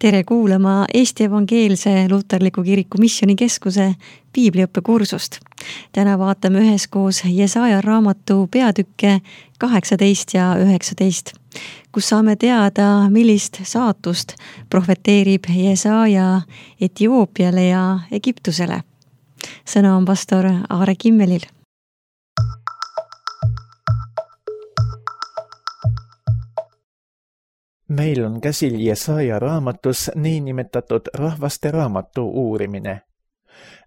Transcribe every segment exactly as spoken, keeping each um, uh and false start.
Tere kuulama Eesti Evangeelse Luterliku Kiriku Missioonikeskuse piibliõppekursust. Täna vaatame üheskoos Jesaja raamatu peatükke kaheksateist ja üheksateist, kus saame teada, millist saatust profeteerib Jesaja Etioopiale ja Egiptusele. Sõna on pastor Aare Kimmelil. Meil on käsil Jesaja raamatus niinimetatud rahvaste raamatu uurimine.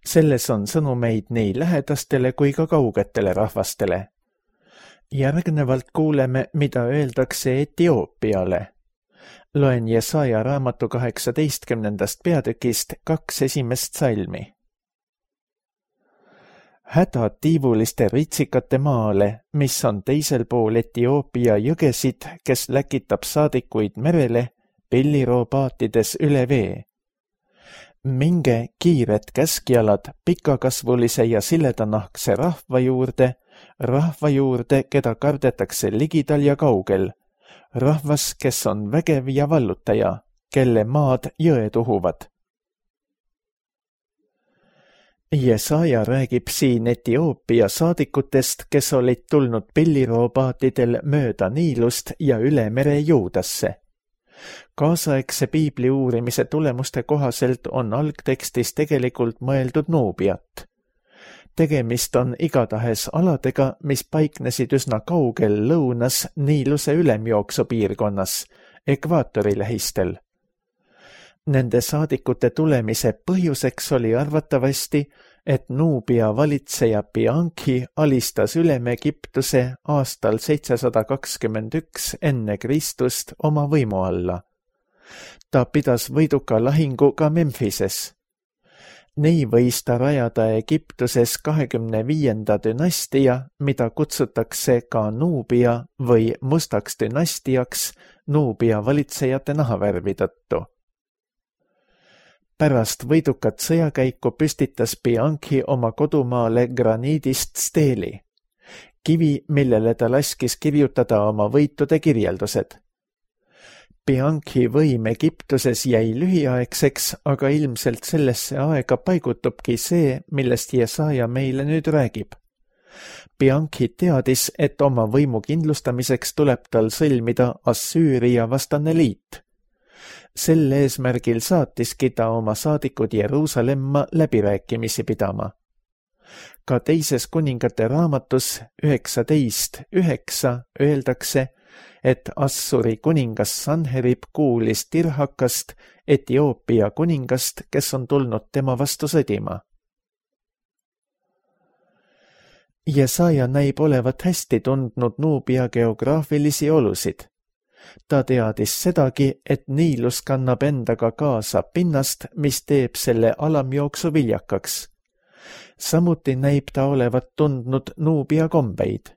Selles on sõnumeid nii lähedastele kui ka kaugetele rahvastele. Järgnevalt kuuleme, mida öeldakse Etioopiale. Loen Jesaja raamatu kaheksateistkümnendast peatükist kaks esimest salmi. Häda tiivuliste ritsikate maale, mis on teisel pool Etioopia jõgesid, kes läkitab saadikuid merele pilliroopaatides üle vee. Minge kiired käskjalad pikakasvulise ja siledanahkse rahva juurde, rahva juurde, keda kardetakse ligidal ja kaugel, rahvas, kes on vägev ja vallutaja, kelle maad jõed uhuvad. Jesaja räägib siin Etioopia saadikutest, kes olid tulnud pilliroopaatidel mööda Niilust ja üle mere Juudasse. Kaasaegse piibli uurimise tulemuste kohaselt on algtekstis tegelikult mõeldud Nuubiat. Tegemist on igatahes aladega, mis paiknesid üsna kaugel lõunas Niiluse ülemjooksu piirkonnas, ekvaatori lähistel. Nende saadikute tulemise põhjuseks oli arvatavasti, et Nuubia valitseja Bianchi alistas Ülem-Egiptuse aastal seitsesada kakskümmend üks enne Kristust oma võimu alla. Ta pidas võiduka lahingu ka Memphises. Nii võis ta rajada Egiptuses kahekümne viienda dünastia, mida kutsutakse ka Nuubia või mustaks dünastiaks Nuubia valitsejate nahavärvi tõttu. Pärast võidukat sõjakäiku püstitas Bianchi oma kodumaale graniidist steeli, kivi, millele ta laskis kirjutada oma võitude kirjeldused. Bianchi võim Egiptuses jäi lühiaegseks, aga ilmselt sellesse aega paigutubki see, millest Jesaja meile nüüd räägib. Bianchi teadis, et oma võimu kindlustamiseks tuleb tal sõlmida Assüüria vastane liit. Sel eesmärgil saatiski ta oma saadikud Jeruusalemma läbirääkimisi pidama. Ka teises kuningate raamatus üheksateist üheksa öeldakse, et Assuri kuningas Sanherib kuulis Tirhakast, Etioopia kuningast, kes on tulnud tema vastu sõdima. Jesaja näib olevat hästi tundnud Nuubia geograafilisi olusid. Ta teadis sedagi, et Niilus kannab endaga kaasa pinnast, mis teeb selle alamjooksu viljakaks. Samuti näib ta olevat tundnud Nuubia kombeid.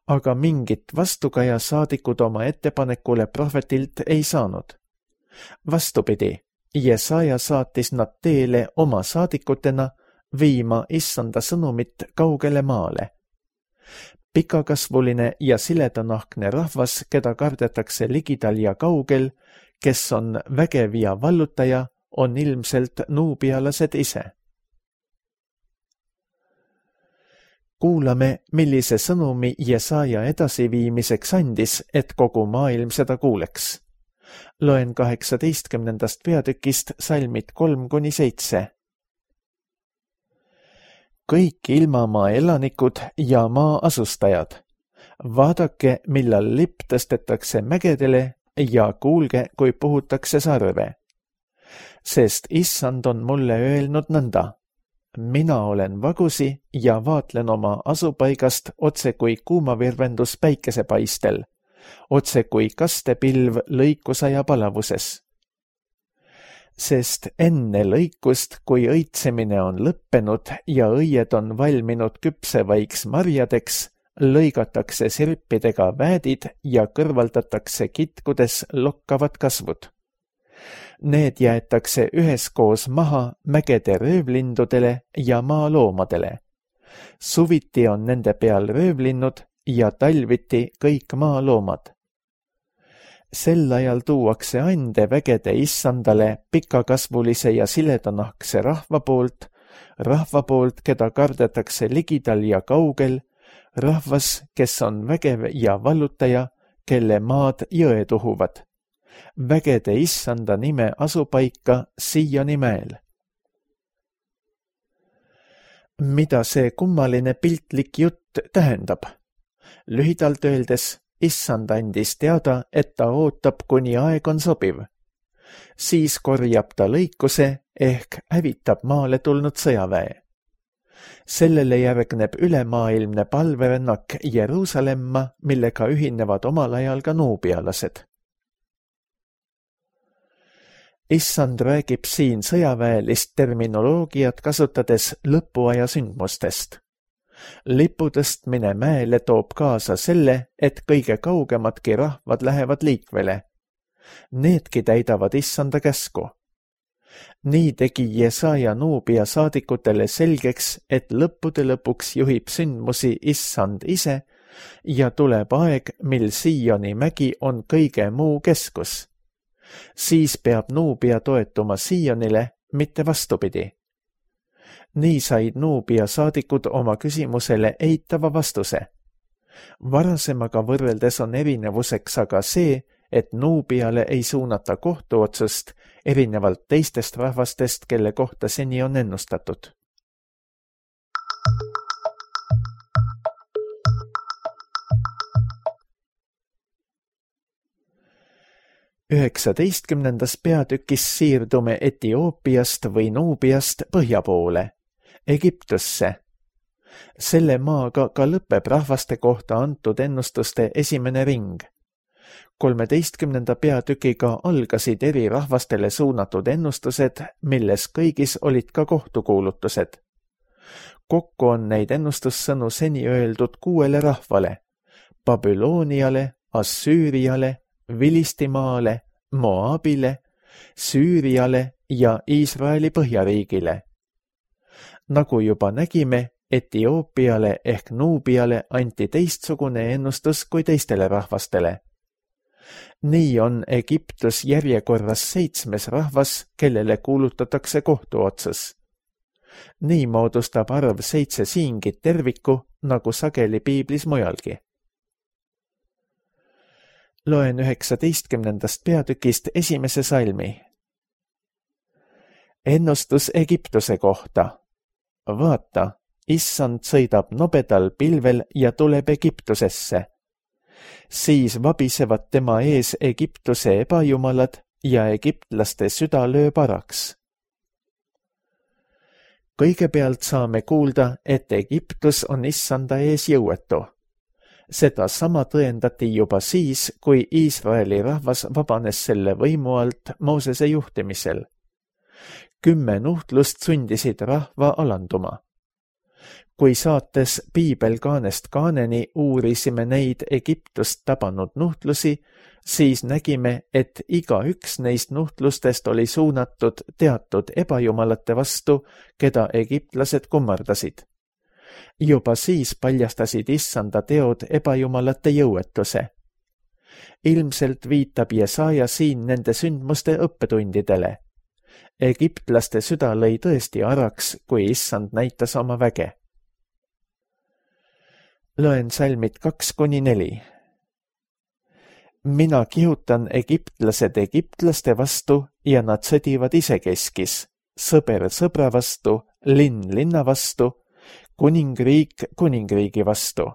Aga mingit vastukaja saadikud oma ettepanekule prohvetilt ei saanud. Vastupidi, Jesaja saatis nad teele oma saadikutena viima issanda sõnumit kaugele maale. Pikakasvuline ja siledanahkne rahvas, keda kardetakse ligidal ja kaugel, kes on vägev ja vallutaja, on ilmselt nuubialased ise. Kuulame, millise sõnumi Jesaja edasiviimiseks andis, et kogu maailm seda kuuleks. Loen kaheksateistkümnendast peatükist salmid kolm kuni seitse. Kõik ilmamaa elanikud ja maa asustajad, vaadake, millal lipp tõstetakse mägedele ja kuulge, kui puhutakse sarve. Sest issand on mulle öelnud nõnda. Mina olen vagusi ja vaatlen oma asupaigast otse kui kuumavirvendus päikesepaistel, otse kui kastepilv lõikusaja palavuses. Sest enne lõikust, kui õitsemine on lõppenud ja õied on valminud küpsevaiks marjadeks, lõigatakse sirpidega väädid ja kõrvaldatakse kitkudes lokkavad kasvud. Need jäetakse üheskoos maha mägede röövlindudele ja maaloomadele. Suviti on nende peal röövlinnud ja talviti kõik maaloomad. sel ajal tuuakse ande vägede issandale pikakasvulise ja siledanahkse rahva poolt, rahva poolt, keda kardetakse ligidal ja kaugel, rahvas, kes on vägev ja vallutaja, kelle maad jõed uhuvad. Vägede issanda nime asupaika Sioni mäel. Mida see kummaline piltlik jutt tähendab? Lühidalt öeldes, issand andis teada, et ta ootab, kuni aeg on sobiv. Siis korjab ta lõikuse ehk hävitab maale tulnud sõjaväe. Sellele järgneb ülemaailmne palverännak Jeruusalemma, millega ühinevad omal ajal ka nuubialased. Issand räägib siin sõjaväelist terminoloogiat kasutades lõpuaja sündmustest. Lipu tõstmine mäele toob kaasa selle, et kõige kaugemadki rahvad lähevad liikvele. Needki täidavad issanda käsku. Nii tegi Jesaja Nuubia saadikutele selgeks, et lõppude lõpuks juhib sündmusi issand ise ja tuleb aeg, mil Sioni mägi on kõige muu keskus. Siis peab Nuubia toetuma Sionile, mitte vastupidi. Nii said Nuubia saadikud oma küsimusele eitava vastuse. Varasemaga võrreldes on erinevuseks aga see, et Nuubiale ei suunata kohtuotsust erinevalt teistest rahvastest, kelle kohta seni on ennustatud. üheksateistkümnendas peatükis siirdume Etioopiast või Nuubiast põhja poole, Egiptusse. Selle maaga ka lõpeb rahvaste kohta antud ennustuste esimene ring. kolmeteistkümnenda peatükiga algasid eri rahvastele suunatud ennustused, milles kõigis olid ka kohtukuulutused. Kokku on neid ennustussõnu seni öeldud kuuele rahvale: Babyloniale, Assüüriale, Vilistimaale, Moabile, Süüriale ja Iisraeli põhjariigile. Nagu juba nägime, Etioopiale ehk Nuubiale anti teistsugune ennustus kui teistele rahvastele. Nii on Egiptus järjekorras seitsmes rahvas, kellele kuulutatakse kohtuotsus. Nii moodustab arv seitse siingit terviku, nagu sageli piiblis mujalgi. Loen üheksateistkümnendast peatükist esimese salmi. Ennustus Egiptuse kohta. Vaata, issand sõidab nobedal pilvel ja tuleb Egiptusesse. Siis vabisevad tema ees Egiptuse ebajumalad ja egiptlaste süda lööb araks. Kõigepealt saame kuulda, et Egiptus on issanda ees jõuetu. Seda sama tõendati juba siis, kui Iisraeli rahvas vabanes selle võimu alt Moosese juhtimisel. Kümme nuhtlust sundisid rahva alanduma. Kui saates Piibel kaanest kaaneni uurisime neid Egiptust tabanud nuhtlusi, siis nägime, et iga üks neist nuhtlustest oli suunatud teatud ebajumalate vastu, keda egiptlased kummardasid. Juba siis paljastasid issanda teod ebajumalate jõuetuse. Ilmselt viitab Jesaja siin nende sündmuste õppetundidele. Egiptlaste süda lõi tõesti araks, kui issand näitas oma väge. Loen salmid kaks kuni neli. Mina kihutan egiptlased egiptlaste vastu ja nad sõdivad isekeskis, sõber sõbra vastu, linn linna vastu, kuningriik kuningriigi vastu.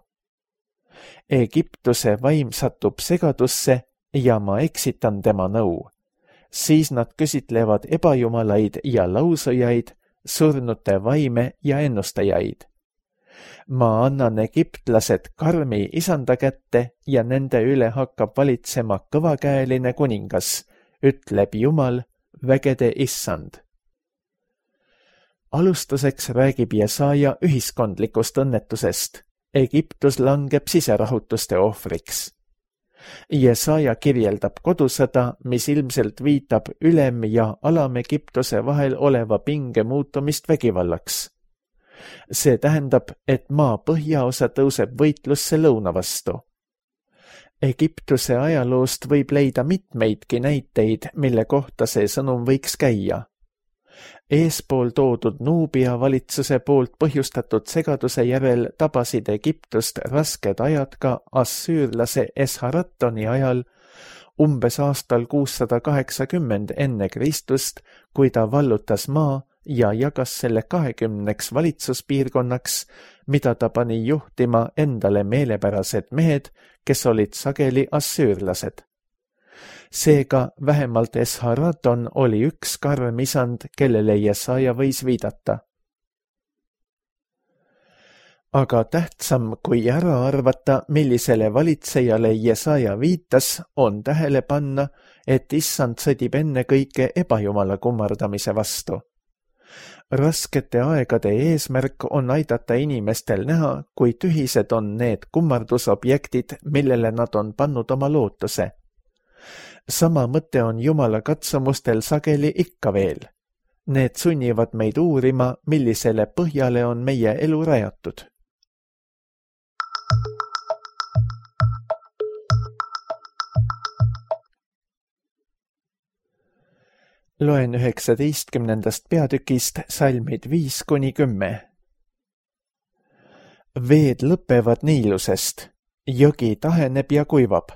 Egiptuse vaim satub segadusse ja ma eksitan tema nõu. Siis nad küsitlevad ebajumalaid ja lausujaid, surnute vaime ja ennustajaid. Ma annan egiptlased karmi isanda kätte ja nende üle hakkab valitsema kõvakäeline kuningas, ütleb Jumal, vägede issand. Alustuseks räägib Jesaja ühiskondlikust õnnetusest. Egiptus langeb siserahutuste ohvriks. Jesaja kirjeldab kodusõda, mis ilmselt viitab ülem- ja alam-Egiptuse vahel oleva pinge muutumist vägivallaks. See tähendab, et maa põhjaosa tõuseb võitlusse lõuna vastu. Egiptuse ajaloost võib leida mitmeidki näiteid, mille kohta see sõnum võiks käia. Eespool toodud Nuubia valitsuse poolt põhjustatud segaduse järel tabasid Egiptust rasked ajad ka assüürlase Esharatoni ajal, umbes aastal kuussada kaheksakümmend enne Kristust, kui ta vallutas maa ja jagas selle kahekümneks valitsuspiirkonnaks, mida ta pani juhtima endale meelepärased mehed, kes olid sageli assüürlased. Seega vähemalt Esharaton oli üks karm isand, kellele Jesaja võis viidata. Aga tähtsam kui ära arvata, millisele valitsejale Jesaja viitas, on tähele panna, et issand sõdib ennekõike ebajumala kummardamise vastu. Raskete aegade eesmärk on aidata inimestel näha, kui tühised on need kummardusobjektid, millele nad on pannud oma lootuse. Sama mõte on Jumala katsumustel sageli ikka veel. Need sunnivad meid uurima, millisele põhjale on meie elu rajatud. Loen üheksateistkümnendast peatükist salmid viis kuni kümme. Veed lõpevad Niilusest, jõgi taheneb ja kuivab.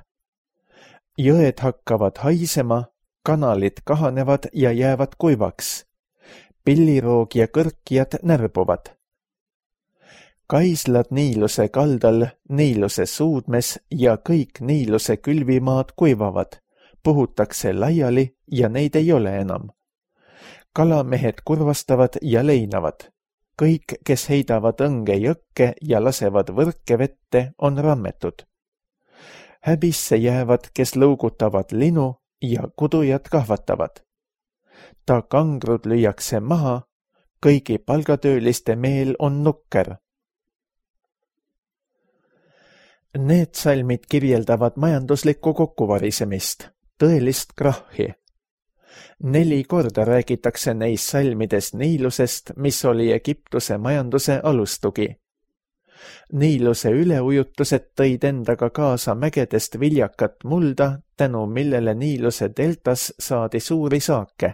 Jõed hakkavad haisema, kanalid kahanevad ja jäävad kuivaks. Pilliroog ja kõrkjad närbuvad. Kaislad Niiluse kaldal, Niiluse suudmes ja kõik Niiluse külvimaad kuivavad. Puhutakse laiali ja neid ei ole enam. Kalamehed kurvastavad ja leinavad. Kõik, kes heidavad õnge jõkke ja lasevad võrke vette, on rammetud. Häbisse jäävad, kes lõugutavad linu ja kudujad kahvatavad. Ta kangrud lüüakse maha, kõigi palgatööliste meel on nukker. Need salmid kirjeldavad majanduslikku kokkuvarisemist. Tõelist krahhi. Neli korda räägitakse neis salmides Niilusest, mis oli Egiptuse majanduse alustugi. Niiluse üleujutused tõid endaga kaasa mägedest viljakat mulda, tänu millele Niiluse deltas saadi suuri saake.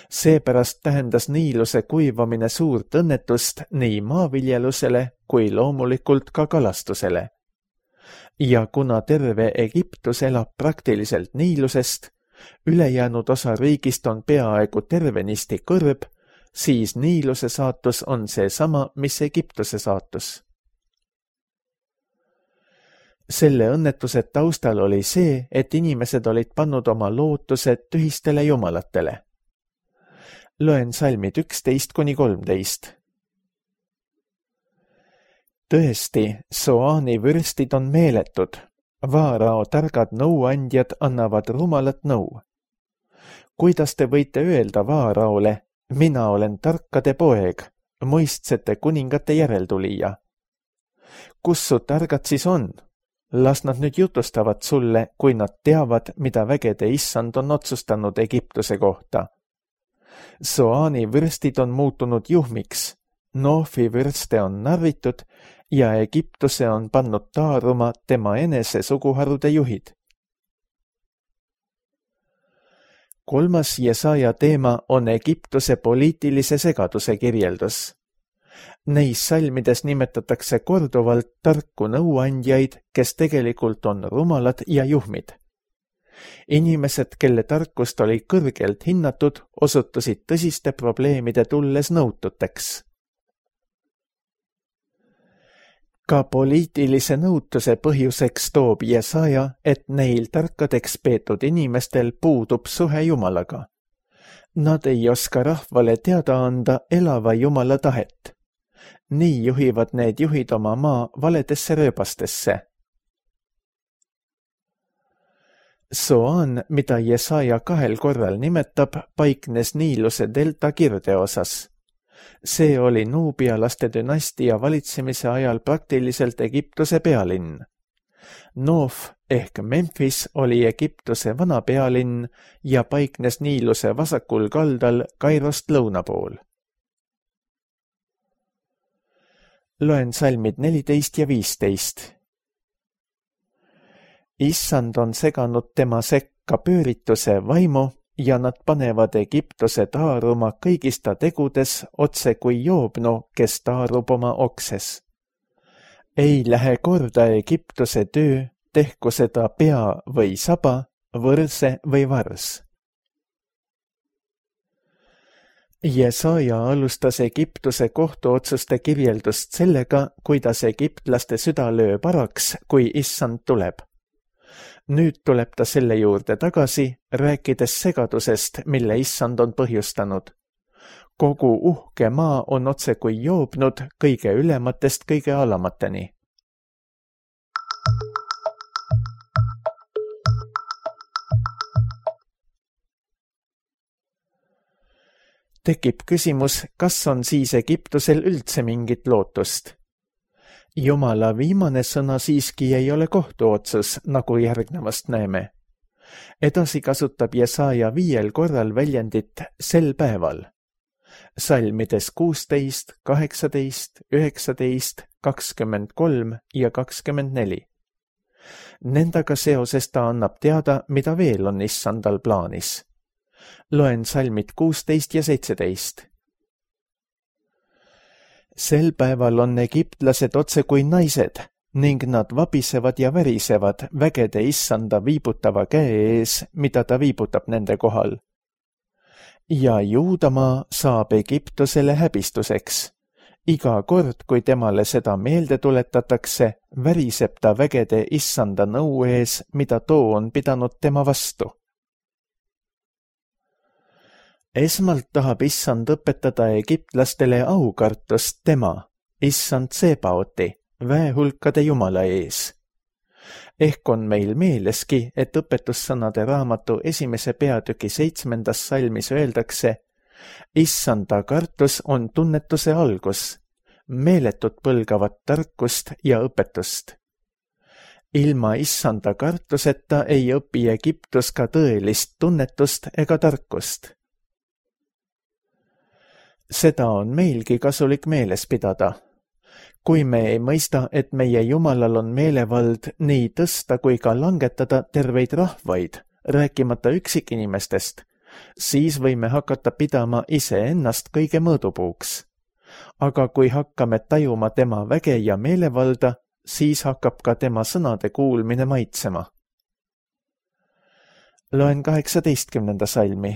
Seepärast tähendas Niiluse kuivamine suurt õnnetust nii maaviljelusele kui loomulikult ka kalastusele. Ja kuna terve Egiptus elab praktiliselt Niilusest, ülejäänud osa riigist on peaaegu tervenisti kõrb, siis Niiluse saatus on see sama, mis Egiptuse saatus. Selle õnnetuse taustal oli see, et inimesed olid pannud oma lootused tühistele jumalatele. Loen salmid üksteist kuni kolmteist. Tõesti, Soani vürstid on meeletud, Vaarao targad nõuandjad annavad rumalat nõu. Kuidas te võite öelda Vaaraole, mina olen tarkade poeg, mõistsete kuningate järeltulija? Kus su targad siis on? Las nad nüüd jutustavad sulle, kui nad teavad, mida vägede issand on otsustanud Egiptuse kohta. Soani vürstid on muutunud juhmiks, Noofi vürste on narritud ja Egiptuse on pannud taaruma tema enese suguharude juhid. Kolmas Jesaja teema on Egiptuse poliitilise segaduse kirjeldus. Neis salmides nimetatakse korduvalt tarku nõuandjaid, kes tegelikult on rumalad ja juhmid. Inimesed, kelle tarkust oli kõrgelt hinnatud, osutusid tõsiste probleemide tulles nõututeks. Ka poliitilise nõutuse põhjuseks toob Jesaja, et neil tarkadeks peetud inimestel puudub suhe Jumalaga. Nad ei oska rahvale teada anda elava Jumala tahet. Nii juhivad need juhid oma maa valedesse rööbastesse. Soan, mida Jesaja kahel korral nimetab, paiknes Niiluse delta kirdeosas. See oli nuubialaste dünastia valitsemise ajal praktiliselt Egiptuse pealinn. Noof ehk Memphis oli Egiptuse vana pealinn ja paiknes Niiluse vasakul kaldal Kairost lõuna pool. Loen salmid neliteist ja viisteist. Issand on seganud tema sekka pöörituse vaimu ja nad panevad Egiptuse taaruma kõigis ta tegudes otse kui joobnu, kes taarub oma okses. Ei lähe korda Egiptuse töö, tehku seda pea või saba, võrse või vars. Jesaja alustas Egiptuse kohtuotsuste kirjeldust sellega, kuidas egiptlaste süda lööb araks, kui issand tuleb. Nüüd tuleb ta selle juurde tagasi, rääkides segadusest, mille issand on põhjustanud. Kogu uhke maa on otse kui joobnud kõige ülematest kõige alamateni. Tekib küsimus, kas on siis Egiptusel üldse mingit lootust? Jumala viimane sõna siiski ei ole kohtuotsus, nagu järgnevast näeme. Edasi kasutab Jesaja viiel korral väljendit sel päeval. Salmides kuusteist, kaheksateist, üheksateist, kakskümmend kolm ja kakskümmend neli. Nendaga seoses ta annab teada, mida veel on issandal plaanis. Loen salmid kuusteist ja seitseteist. Sel päeval on egiptlased otse kui naised ning nad vabisevad ja värisevad vägede issanda viibutava käe ees, mida ta viibutab nende kohal. Ja Juudamaa saab Egiptusele häbistuseks. Iga kord, kui temale seda meelde tuletatakse, väriseb ta vägede issanda nõu ees, mida too on pidanud tema vastu. Esmalt tahab issand õpetada egiptlastele aukartust tema, issand Sebaoti, väehulkade jumala ees. Ehk on meil meeleski, et õpetussõnade raamatu esimese peatüki seitsmendas salmis öeldakse, issanda kartus on tunnetuse algus, meeletut põlgavat tarkust ja õpetust. Ilma issanda kartuseta ei õpi Egiptus ka tõelist tunnetust ega tarkust. Seda on meilgi kasulik meeles pidada. Kui me ei mõista, et meie Jumalal on meelevald nii tõsta kui ka langetada terveid rahvaid, rääkimata üksikinimestest, siis võime hakata pidama iseennast kõige mõõdupuuks. Aga kui hakkame tajuma tema väge ja meelevalda, siis hakkab ka tema sõnade kuulmine maitsema. Loen kaheksateistkümnenda salmi.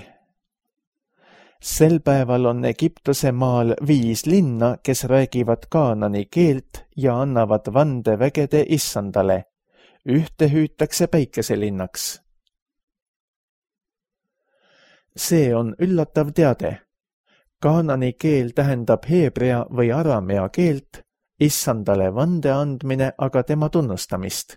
Sel päeval on Egiptuse maal viis linna, kes räägivad kaanani keelt ja annavad vande vägede issandale. Ühte hüütakse päikeselinnaks. See on üllatav teade. Kaanani keel tähendab heebrea või aramea keelt, issandale vande andmine aga tema tunnustamist.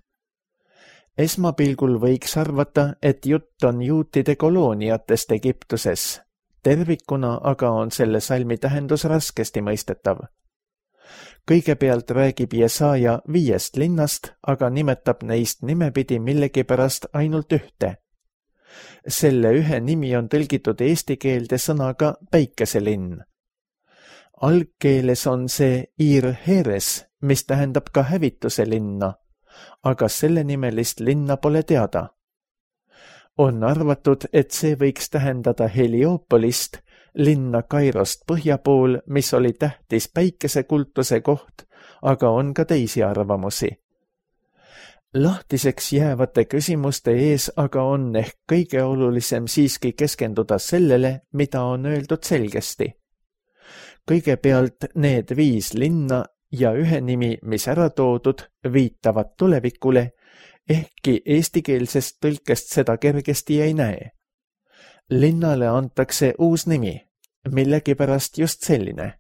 Esmapilgul võiks arvata, et jutt on juutide kolooniatest Egiptuses. Tervikuna aga on selle salmi tähendus raskesti mõistetav. Kõigepealt räägib Jesaja viiest linnast, aga nimetab neist nimepidi millegipärast ainult ühte. Selle ühe nimi on tõlgitud eesti keelde sõnaga päikeselinn. Algkeeles on see Ir-Heres, mis tähendab ka hävituse linna, aga selle nimelist linna pole teada. On arvatud, et see võiks tähendada Helioopolist, linna Kairost põhja pool, mis oli tähtis päikesekultuse koht, aga on ka teisi arvamusi. Lahtiseks jäävate küsimuste ees aga on ehk kõige olulisem siiski keskenduda sellele, mida on öeldud selgesti. Kõigepealt need viis linna ja ühe nimi, mis ära toodud, viitavad tulevikule, ehkki eestikeelsest tõlkest seda kergesti ei näe. Linnale antakse uus nimi, millegipärast just selline.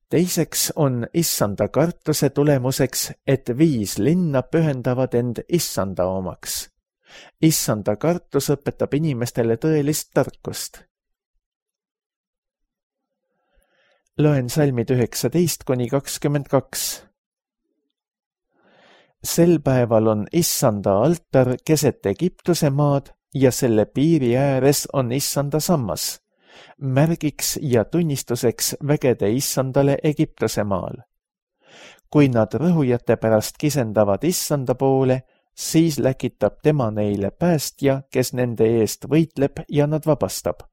Teiseks on issanda kartuse tulemuseks, et viis linna pühendavad end issanda omaks. Issanda kartus õpetab inimestele tõelist tarkust. Loen salmid üheksateist kuni kakskümmend kaks. Sel päeval on issanda altar keset Egiptuse maad ja selle piiri ääres on issanda sammas, märgiks ja tunnistuseks vägede issandale Egiptuse maal. kui nad rõhujate pärast kisendavad issanda poole, siis läkitab tema neile päästja, kes nende eest võitleb ja nad vabastab.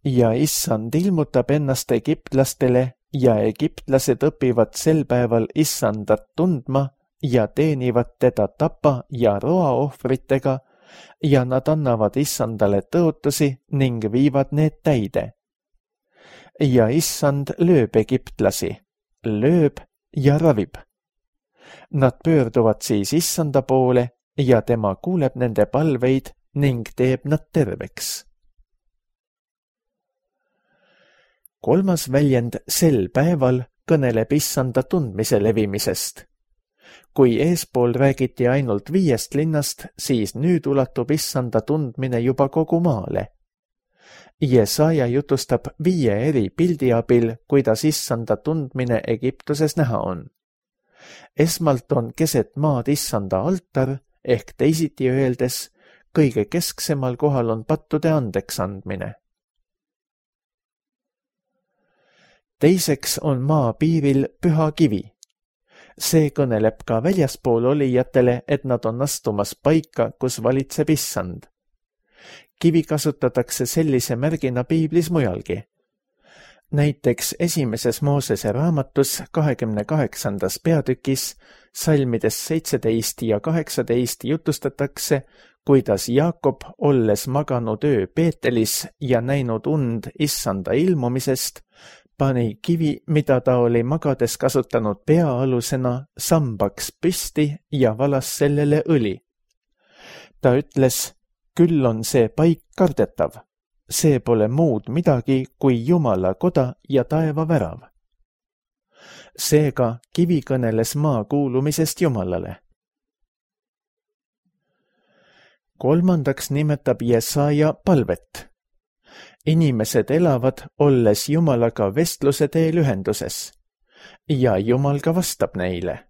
Ja issand ilmutab ennast egiptlastele ja egiptlased õpivad sel päeval issandat tundma ja teenivad teda tapa ja roaohvritega ja nad annavad issandale tõotusi ning viivad need täide. Ja issand lööb egiptlasi, lööb ja ravib. Nad pöörduvad siis issanda poole ja tema kuuleb nende palveid ning teeb nad terveks. Kolmas väljend sel päeval kõneleb issanda tundmise levimisest. Kui eespool räägiti ainult viiest linnast, siis nüüd ulatub issanda tundmine juba kogu maale. Jesaja jutustab viie eri pildi abil, kuidas issanda tundmine Egiptuses näha on. Esmalt on keset maad issanda altar, ehk teisiti öeldes, kõige kesksemal kohal on pattude andeks andmine. Teiseks on maa piiril püha kivi. See kõneleb ka väljaspool olijatele, et nad on astumas paika, kus valitseb issand. Kivi kasutatakse sellise märgina piiblis mujalgi. Näiteks esimeses Moosese raamatus kahekümne kaheksandas peatükis salmides seitseteist ja kaheksateist jutustatakse, kuidas Jaakob, olles maganud öö Peetelis ja näinud und issanda ilmumisest, pani kivi, mida ta oli magades kasutanud peaalusena, sambaks püsti ja valas sellele õli. Ta ütles, küll on see paik kardetav. See pole muud midagi kui Jumala koda ja taeva värav. Seega kivi kõneles maa kuulumisest Jumalale. Kolmandaks nimetab Jesaja palvet. Inimesed elavad, olles Jumalaga vestluse teel ühenduses, ja Jumal ka vastab neile.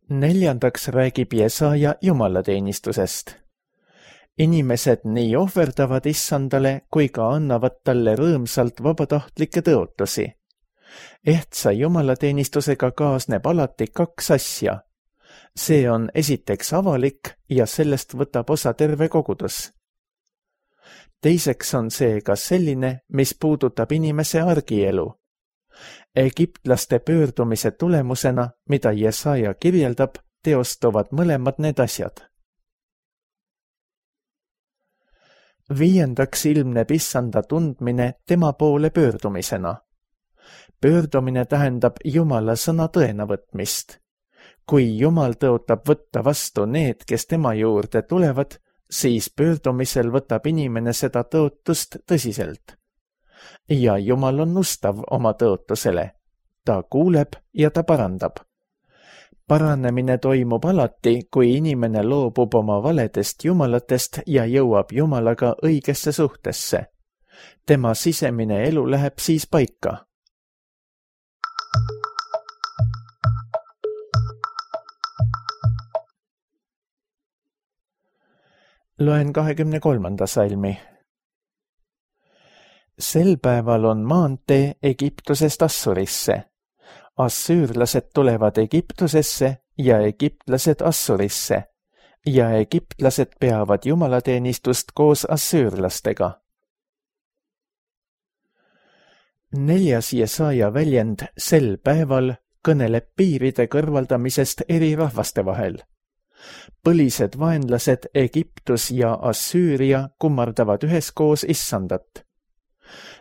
Neljandaks räägib Jesaja jumalateenistusest. Inimesed nii ohverdavad issandale kui ka annavad talle rõõmsalt vabatahtlikke tõotusi. Ehtsa jumalateenistusega kaasneb alati kaks asja. See on esiteks avalik ja sellest võtab osa terve kogudus. Teiseks on see ka selline, mis puudutab inimese argielu. Egiptlaste pöördumise tulemusena, mida Jesaja kirjeldab, teostuvad mõlemad need asjad. Viiendaks ilmneb issanda tundmine tema poole pöördumisena. Pöördumine tähendab Jumala sõna tõena võtmist. Kui Jumal tõotab võtta vastu need, kes tema juurde tulevad, siis pöördumisel võtab inimene seda tõotust tõsiselt. Ja Jumal on ustav oma tõotusele. Ta kuuleb ja ta parandab. Paranemine toimub alati, kui inimene loobub oma valedest jumalatest ja jõuab Jumalaga õigesse suhtesse. Tema sisemine elu läheb siis paika. Loen kahekümne kolmanda salmi. Sel päeval on maantee Egiptusest Assurisse. Assüürlased tulevad Egiptusesse ja egiptlased Assurisse ja egiptlased peavad jumalateenistust koos assüürlastega. Neljas Jesaja väljend sel päeval kõneleb piiride kõrvaldamisest eri rahvaste vahel. Põlised vaenlased Egiptus ja Assüüria kummardavad üheskoos issandat.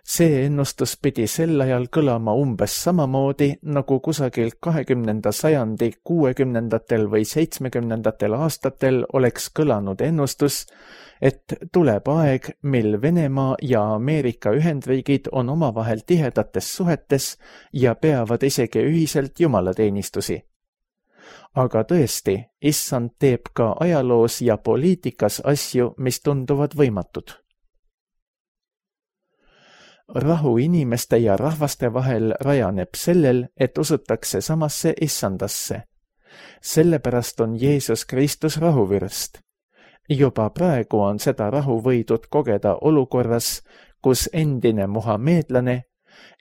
See ennustus pidi sel ajal kõlama umbes samamoodi, nagu kusagil kahekümnenda sajandi kuuekümnendatel või seitsmekümnendatel aastatel oleks kõlanud ennustus, et tuleb aeg, mil Venemaa ja Ameerika Ühendriigid on omavahel tihedates suhetes ja peavad isegi ühiselt jumalateenistusi. Aga tõesti, issand teeb ka ajaloos ja poliitikas asju, mis tunduvad võimatud. Rahu inimeste ja rahvaste vahel rajaneb sellel, et usutakse samasse issandasse. Sellepärast on Jeesus Kristus rahuvürst. Juba praegu on seda rahu võidud kogeda olukorras, kus endine muhameedlane,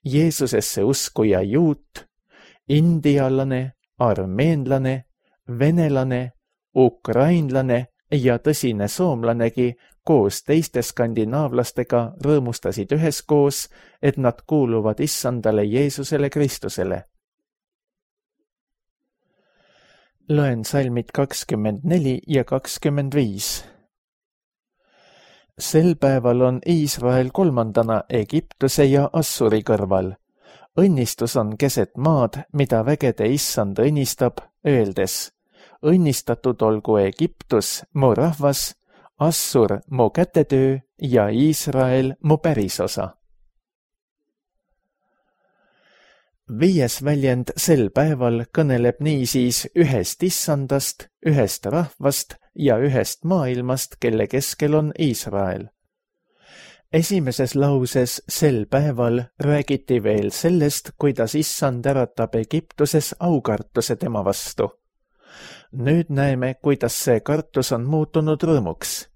Jeesusesse uskuja juut, indialane, armeenlane, venelane, ukrainlane ja tõsine soomlanegi koos teiste skandinaavlastega rõõmustasid üheskoos, et nad kuuluvad issandale Jeesusele Kristusele. Loen salmid kakskümmend neli ja kakskümmend viis. Sel päeval on Iisrael kolmandana Egiptuse ja Assuri kõrval. Õnnistus on keset maad, mida vägede issand õnnistab, öeldes: õnnistatud olgu Egiptus, mu rahvas, Assur, mu kätetöö ja Iisrael, mu pärisosa. Viies väljend sel päeval kõneleb niisiis ühest issandast, ühest rahvast ja ühest maailmast, kelle keskel on Iisrael. Esimeses lauses sel päeval räägiti veel sellest, kuidas issand äratab Egiptuses aukartuse tema vastu. Nüüd näeme, kuidas see kartus on muutunud rõõmuks.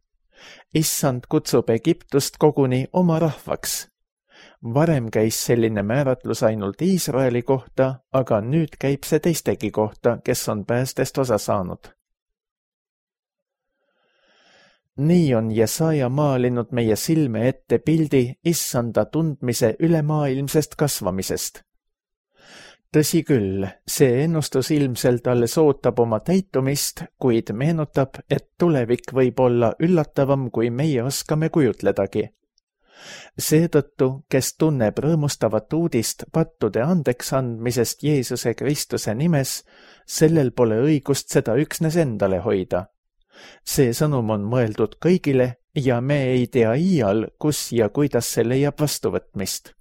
Issand kutsub Egiptust koguni oma rahvaks. Varem käis selline määratlus ainult Iisraeli kohta, aga nüüd käib see teistegi kohta, kes on päästest osa saanud. Nii on Jesaja maalinud meie silme ette pildi issanda tundmise ülemaailmsest kasvamisest. Tõsi küll, see ennustus ilmselt alles ootab oma täitumist, kuid meenutab, et tulevik võib olla üllatavam, kui meie oskame kujutledagi. Seetõttu, kes tunneb rõõmustavat uudist pattude andeks andmisest Jeesuse Kristuse nimes, sellel pole õigust seda üksnes endale hoida. See sõnum on mõeldud kõigile ja me ei tea iial, kus ja kuidas see leiab vastuvõtmist.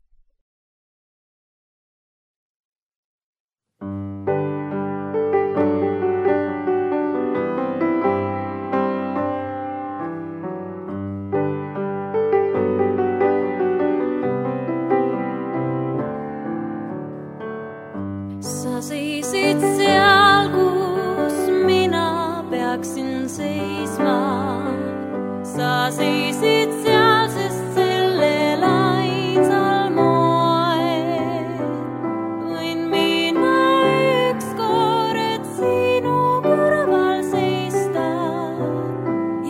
Sa seisid seal, kus mina peaksin seisma. Sa seisid seal, sest sellel ainsal moel võin mina ükskord sinu kõrval seista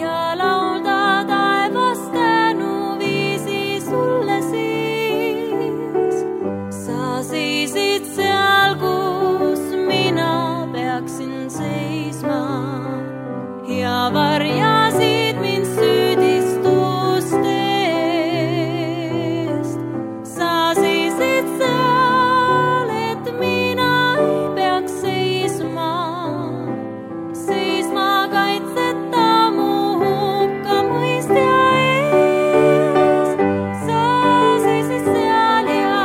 ja laulda taevas tänuviisi sulle siis. Sa seisid seal, kus mina peaksin seisma ja varjasid mind süüdistustest. Sa seisid seal, et mina ei peaks seisma, seisma kaitseta mu hukkamõistja ees. Sa seisid seal ja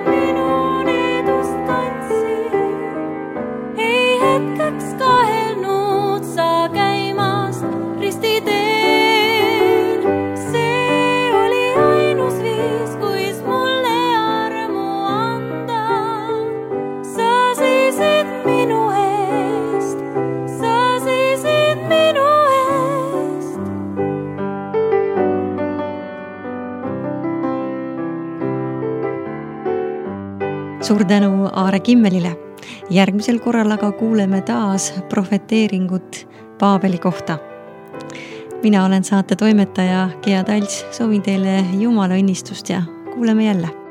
minu needust kandsid, ei hetkeks kahelnud sa käimast ristiteel. See oli ainus viis, kuis mulle armu anda. Sa seisid minu eest, sa seisid minu eest. Suur tänu Aare Kimmelile. Järgmisel korral aga kuuleme taas profeteeringut Paabeli kohta. Mina olen saate toimetaja Gea Talts, soovin teile Jumala õnnistust ja kuuleme jälle.